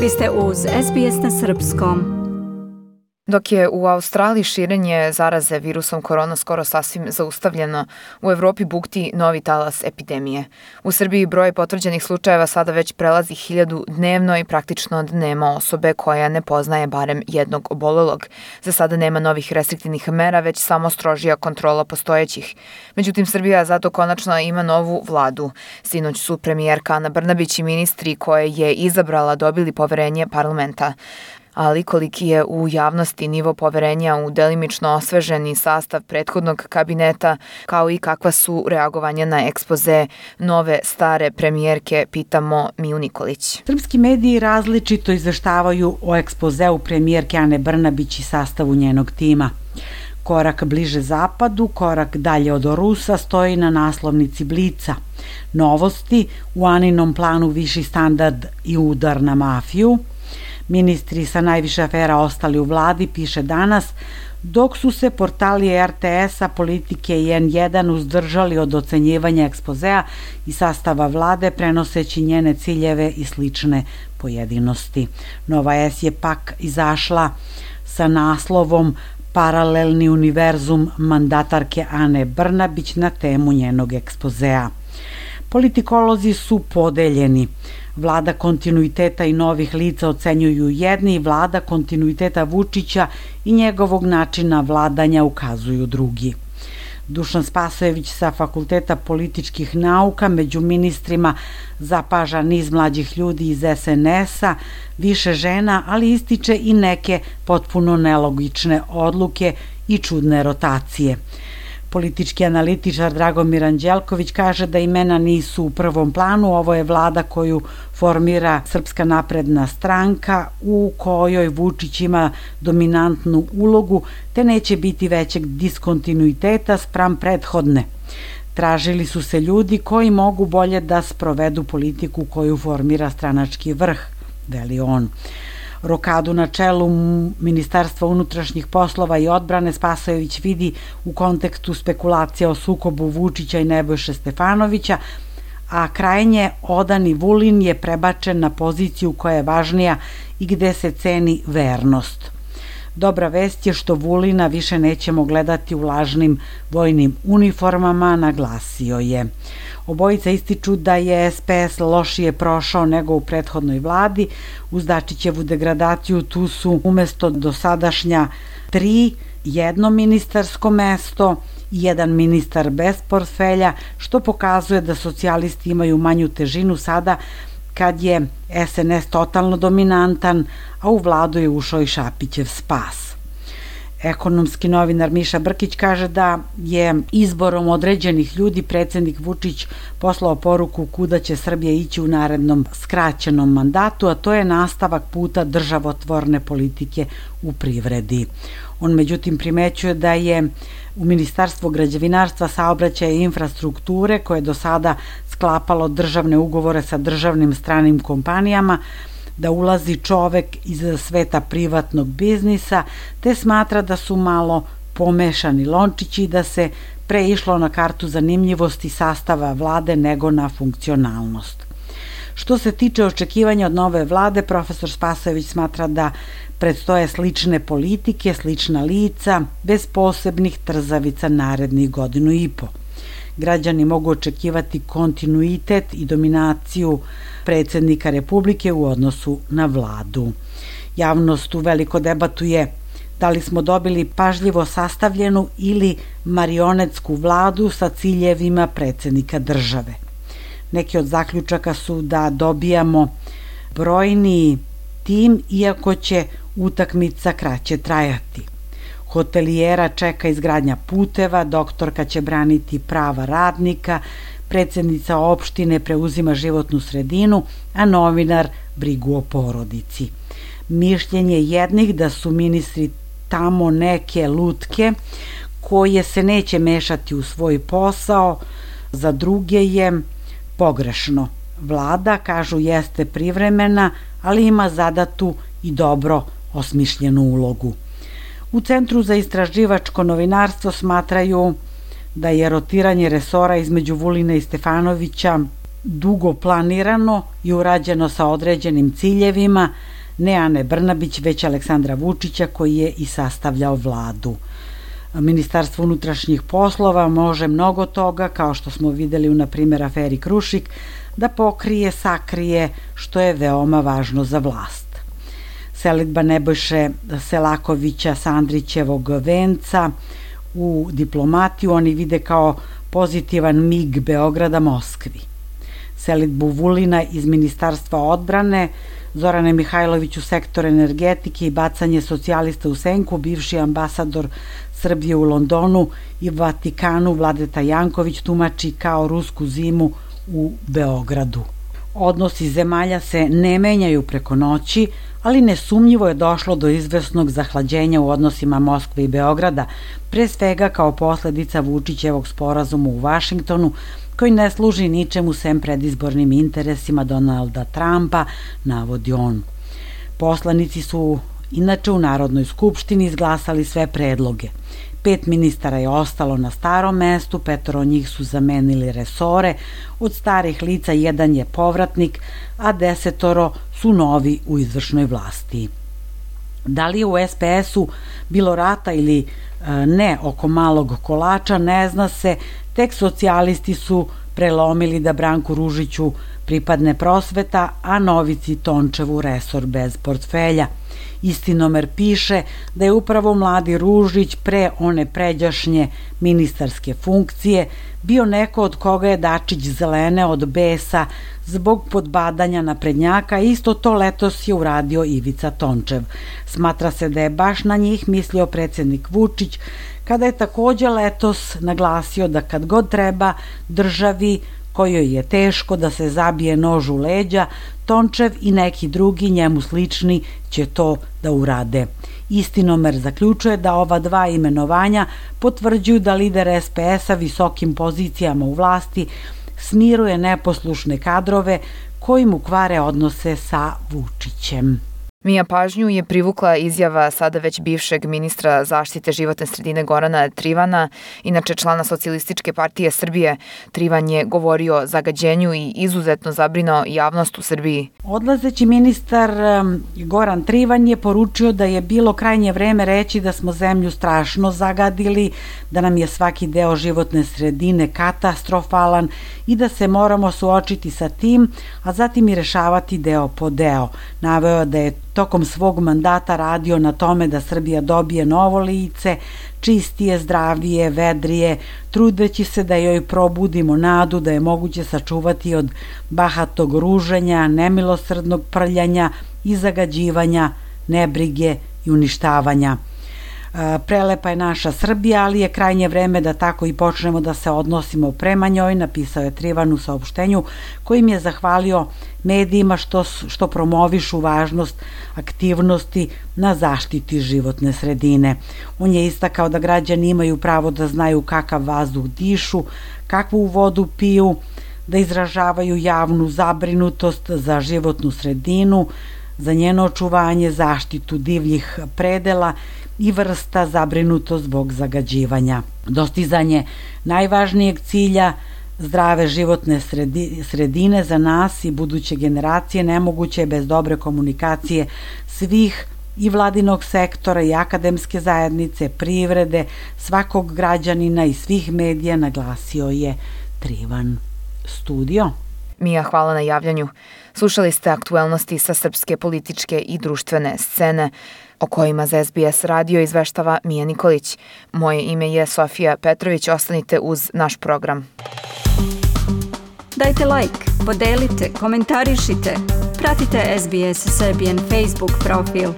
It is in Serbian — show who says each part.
Speaker 1: Vi ste uz SBS na srpskom.
Speaker 2: Dok je u Australiji širenje zaraze virusom korona skoro sasvim zaustavljeno, u Evropi bukti novi talas epidemije. U Srbiji broj potvrđenih slučajeva sada već prelazi 1000 dnevno i praktično nema osobe koja ne poznaje barem jednog obolelog. Za sada nema novih restriktivnih mera, već samo strožija kontrola postojećih. Međutim, Srbija zato konačno ima novu vladu. Sinoć su premijerka Ana Brnabić i ministri koje je izabrala dobili poverenje parlamenta. Ali koliki je u javnosti nivo poverenja u delimično osveženi sastav prethodnog kabineta, kao i kakva su reagovanja na ekspoze nove stare premijerke, pitamo Miju Nikolić.
Speaker 3: Srpski mediji različito izveštavaju o ekspozeu premijerke Ane Brnabić i sastavu njenog tima. Korak bliže zapadu, korak dalje od Rusa stoji na naslovnici Blica. Novosti, u Aninom planu viši standard i udar na mafiju. Ministri sa najviše afera ostali u vladi, piše Danas, dok su se portali RTS-a, Politike i N1 uzdržali od ocenjivanja ekspozea i sastava vlade, prenoseći njene ciljeve i slične pojedinosti. Nova S je pak izašla sa naslovom Paralelni univerzum mandatarke Ane Brnabić na temu njenog ekspozea. Politikolozi su podeljeni. Vlada kontinuiteta i novih lica ocenjuju jedni, vlada kontinuiteta Vučića i njegovog načina vladanja ukazuju drugi. Dušan Spasojević sa Fakulteta političkih nauka među ministrima zapaža niz mlađih ljudi iz SNS-a, više žena, ali ističe i neke potpuno nelogične odluke i čudne rotacije. Politički analitičar Dragomir Anđelković kaže da imena nisu u prvom planu, ovo je vlada koju formira Srpska napredna stranka u kojoj Vučić ima dominantnu ulogu, te neće biti većeg diskontinuiteta spram prethodne. Tražili su se ljudi koji mogu bolje da sprovedu politiku koju formira stranački vrh, veli on. Rokadu na čelu Ministarstva unutrašnjih poslova i odbrane Spasojević vidi u kontekstu spekulacija o sukobu Vučića i Nebojše Stefanovića, a krajnje odani Vulin je prebačen na poziciju koja je važnija i gde se ceni vernost. Dobra vest je što Vulina više nećemo gledati u lažnim vojnim uniformama, naglasio je. Obojica ističu da je SPS lošije prošao nego u prethodnoj vladi. Uz Dačićevu degradaciju tu su umesto dosadašnja 3 jedno ministarsko mesto i jedan ministar bez portfelja, što pokazuje da socijalisti imaju manju težinu sada kad je SNS totalno dominantan, a u vladu je ušao i Šapićev spas. Ekonomski novinar Miša Brkić kaže da je izborom određenih ljudi predsednik Vučić poslao poruku kuda će Srbija ići u narednom skraćenom mandatu, a to je nastavak puta državotvorne politike u privredi. On međutim primećuje da je u Ministarstvu građevinarstva, saobraćaja i infrastrukture, koje je do sada sklapalo državne ugovore sa državnim stranim kompanijama, da ulazi čovek iz sveta privatnog biznisa, te smatra da su malo pomešani lončići i da se pre išlo na kartu zanimljivosti sastava vlade nego na funkcionalnost. Što se tiče očekivanja od nove vlade, profesor Spasojević smatra da predstoje slične politike, slična lica, bez posebnih trzavica narednih 1.5 godina. Građani mogu očekivati kontinuitet i dominaciju predsednika Republike u odnosu na vladu. Javnost uveliko debatuje da li smo dobili pažljivo sastavljenu ili marionetsku vladu sa ciljevima predsednika države. Neki od zaključaka su da dobijamo brojniji tim, iako će utakmica kraće trajati. Hotelijera čeka izgradnja puteva, doktorka će braniti prava radnika, predsednica opštine preuzima životnu sredinu, a novinar brigu o porodici. Mišljenje jednih da su ministri tamo neke lutke koje se neće mešati u svoj posao, za druge je pogrešno. Vlada, kažu, jeste privremena, ali ima zadatu i dobro osmišljenu ulogu. U Centru za istraživačko novinarstvo smatraju da je rotiranje resora između Vulina i Stefanovića dugo planirano i urađeno sa određenim ciljevima, ne Ane Brnabić, već Aleksandra Vučića koji je i sastavljao vladu. Ministarstvo unutrašnjih poslova može mnogo toga, kao što smo videli u, na primjer, aferi Krušik, da pokrije, sakrije, što je veoma važno za vlast. Selidba Nebojše Selakovića sa Andrićevog venca u diplomatiju oni vide kao pozitivan mig Beograda Moskvi. Selidbu Vulina iz Ministarstva odbrane, Zorane Mihajlović u sektor energetike i bacanje socijalista u senku, bivši ambasador Srbije u Londonu i Vatikanu Vladeta Janković tumači kao rusku zimu u Beogradu. Odnosi zemalja se ne menjaju preko noći, ali nesumnjivo je došlo do izvesnog zahlađenja u odnosima Moskve i Beograda, pre svega kao posledica Vučićevog sporazuma u Vašingtonu, koji ne služi ničemu sem predizbornim interesima Donalda Trumpa, navodi on. Poslanici su inače u Narodnoj skupštini izglasali sve predloge. 5 ministara je ostalo na starom mestu, 5 od njih su zamenili resore, od starih lica 1 je povratnik, a 10 su novi u izvršnoj vlasti. Da li je u SPS-u bilo rata ili ne oko malog kolača, ne zna se, tek socijalisti su prelomili da Branku Ružiću pripadne prosveta, a Novici Tončevu resor bez portfelja. Istinomer piše da je upravo mladi Ružić pre one pređašnje ministarske funkcije bio neko od koga je Dačić zelene od besa zbog podbadanja naprednjaka, isto to letos je uradio Ivica Tončev. Smatra se da je baš na njih mislio predsednik Vučić, kada je takođe letos naglasio da kad god treba državi kojoj je teško da se zabije nož u leđa, Tončev i neki drugi njemu slični će to da urade. Istinomer zaključuje da ova 2 imenovanja potvrđuju da lider SPS-a visokim pozicijama u vlasti smiruje neposlušne kadrove koji mu kvare odnose sa Vučićem.
Speaker 2: Mija pažnju je privukla izjava sada već bivšeg ministra zaštite životne sredine Gorana Trivana, inače člana Socijalističke partije Srbije. Trivan je govorio o zagađenju i izuzetno zabrinuo javnost u Srbiji.
Speaker 3: Odlazeći ministar Goran Trivan je poručio da je bilo krajnje vreme reći da smo zemlju strašno zagadili, da nam je svaki deo životne sredine katastrofalan i da se moramo suočiti sa tim, a zatim i rešavati deo po deo. Naveo da je tokom svog mandata radio na tome da Srbija dobije novo lice, čistije, zdravije, vedrije, trudeći se da joj probudimo nadu da je moguće sačuvati od bahatog ruženja, nemilosrdnog prljanja i zagađivanja, nebrige i uništavanja. Prelepa je naša Srbija, ali je krajnje vreme da tako i počnemo da se odnosimo prema njoj, napisao je Trivan u saopštenju kojim je zahvalio medijima što promovišu važnost aktivnosti na zaštiti životne sredine. On je istakao da građani imaju pravo da znaju kakav vazduh dišu, kakvu vodu piju, da izražavaju javnu zabrinutost za životnu sredinu, za njeno očuvanje, zaštitu divljih predela i vrsta zabrinutost zbog zagađivanja. Dostizanje najvažnijeg cilja zdrave životne sredine za nas i buduće generacije nemoguće je bez dobre komunikacije svih i vladinog sektora i akademske zajednice, privrede, svakog građanina i svih medija, naglasio je Trivan. Studio.
Speaker 2: Mija, hvala na javljanju. Slušali ste aktuelnosti sa srpske političke i društvene scene, o kojima za SBS radio izveštava Mija Nikolić. Moje ime je Sofija Petrović, ostanite uz naš program.
Speaker 1: Dajte like, podelite, komentarišite, pratite SBS Serbian Facebook profil.